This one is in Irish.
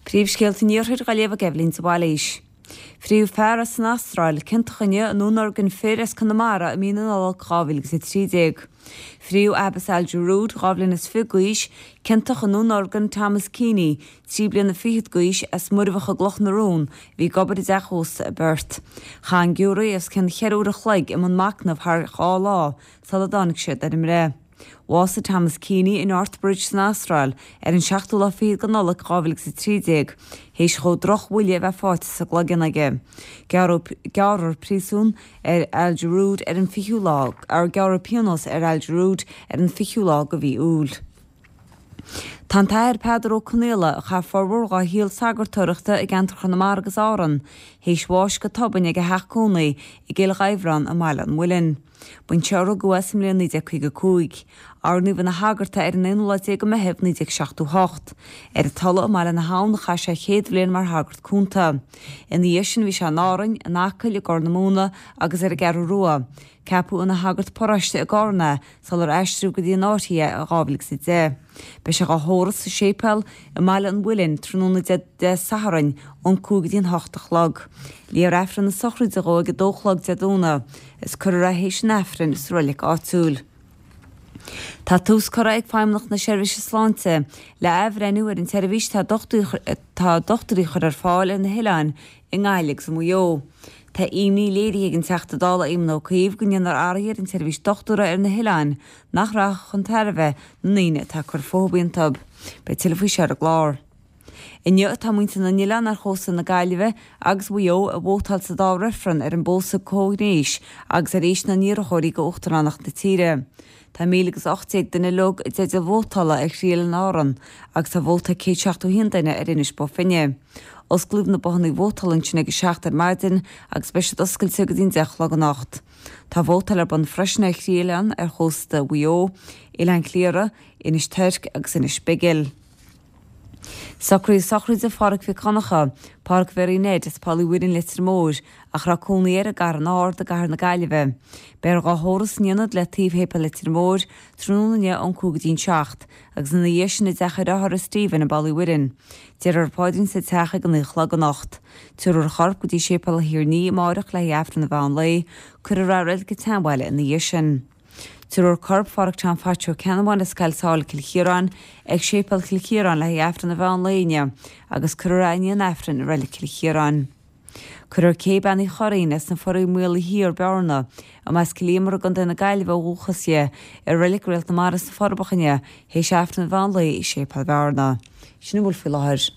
Príomhscéalta an Iarthair á léamh ag Eibhlín de Bhailís. Fríodh fear as an Astráil, ciontach inniu i ndúnorgain fir as Conamara i mí na Nollag 2013. Fríodh Abbas Al Jrood, 22 bhliain d'aois, ciontach i ndúnorgain Thomas Keaney, 23 bliana d'aois, as Muirbheach i gCloch na Rón, a bhí ag obair i dteach ósta i bPerth. Chaith an giúiré os cionn cheithre uair a chloig i mbun machnaimh thar dhá lá sula dtáinig siad ar an mbreith. Bhásaigh Thomas Keaney i North Bridge san Astráil ar an seachtú lá fichead de Nollaig 2013, théis dhó droch-bhuille a bheith faighte sa gcloigeann aige. Gearradh gearradh príosún ar Al Jrood ar an fichiú lá, ar gearradh pionós ar Al Jrood ar an fichiú lá de mhí Iúil. Tá an tAthair Peadar Ó Conaola, a chaith formhór dhá shaol sagartóireachta i gceantar Chonamara agus Árann, théis bháis go tobann ag a theach cónaí i gCill Ghaibhleán i mBaile an Mhuilinn. B'anseo a rugadh é sa mbliain 1955. Oirníodh ina shagart é ar an aonú lá déag de Mheitheamh 1978. Ar an Tulaigh i mBaile na hAbhann a chaith sé a chéad bhliain mar shagart cúnta. Ina dhiaidh sin bhí sé in Árainn, in Acaill, i gCorr na Móna agus ar an gCeathrú Rua. Ceapadh ina shagart paróiste i gCarna é sular aistríodh go dtí an Fhairche é in 2010. Beidh sé dhá thórramh sa séipéal i mBaile an Mhuilinn tráthnóna Dé Sathairn ón 5 go dtí an 8 a chlog. Léifear Aifreann na sochraide dhó ag 2 a chlog Dé Domhnaigh. Is cuirfear é théis an Aifrinn sa reilig áitiúil. Tá tús curtha ag Feidhmeannacht na Seirbhíse Sláinte le athbhreithniú ar an tseirbhís atá dochtúirí a chur ar fáil ar na hoileáin i nGaillimh agus i Maigh Eo. Tá imní léirithe ag an Teachta Dála Éamon Ó Cuív go ndéanfar athruithe ar an tseirbhís dochtúra ar na hoileáin nach rachaidh chun tairbhe na ndaoine atá ag cur fúthu iontu. Beidh tuilleadh faoi seo ar an gclár. Inniu atá muintir na n-oileán ar chósta na Gaillimhe agus Mhaigh Eo ag vótáil sa dá reifreann ar an bpósadh comhghnéis agus ar aois na n-iarrthóirí go uachtaránacht na tíre. Tá 1,018 duine uilig i dteideal vótála ar thrí oileán Árann agus tá vóta ag 171 duine ar Inis Bó Finne. Osclaíodh na bothanna vótála ansin ag a 7 ar maidin agus beidh siad oscailte go dtí an 10 a chlog anocht. Tá vótáil ar bun freisin ar thrí oileán ar chósta Mhaigh Eo, Oileán Chliara, Inis Toirc agus Inis Bigil. Socruithe sochraide Pháraic Mhic Dhonncha, Páraic Mhéaraí Ned as Poll Uí Mhuirinn Leitir Móir, ach a raibh cónaí air i gCarn Ard i gCathair na Gaillimhe. Beifear dhá thórramh san ionad le taobh Shéipéal Leitir Móir, tráthnóna inniu ón 5 go dtí'n 7, agus ina dhiaidh sin i dteach a dhreathár Stephen i bPoll Uí Mhuirinn. Déarfar an paidrín sa teach ag a 9 a chlog anocht. Tabharfar a chorp go dtí Séipéal Thír an Fhia amáireach le haghaidh Aifreann an mheán lae, cuirfear é i Reilig an tSeanbhaile ina dhiaidh sin. Tabharfar corp Pháraic Tom Phaits Ó Ceannabháin as Coill Sáile Cill Chiaráin ag Séipéal Chill Chiaráin le haghaidh Aifreann an mheán lae inniu agus cuirfear é i ndiaidh an Aifrinn i Reilig Chill Chiaráin. Cuirfear Cé Bean Uí Churraoin as na Foraí Maola Thiar, Bearna, arb as Cill Íomair i gContae na Gaillimhe ó dhúchas di, i Reilig Réalt na Mara sna Forbacha inniu théis Aifreann an mheán lae i Séipéal Bhearna. Sin a bhfuil faoi láthair.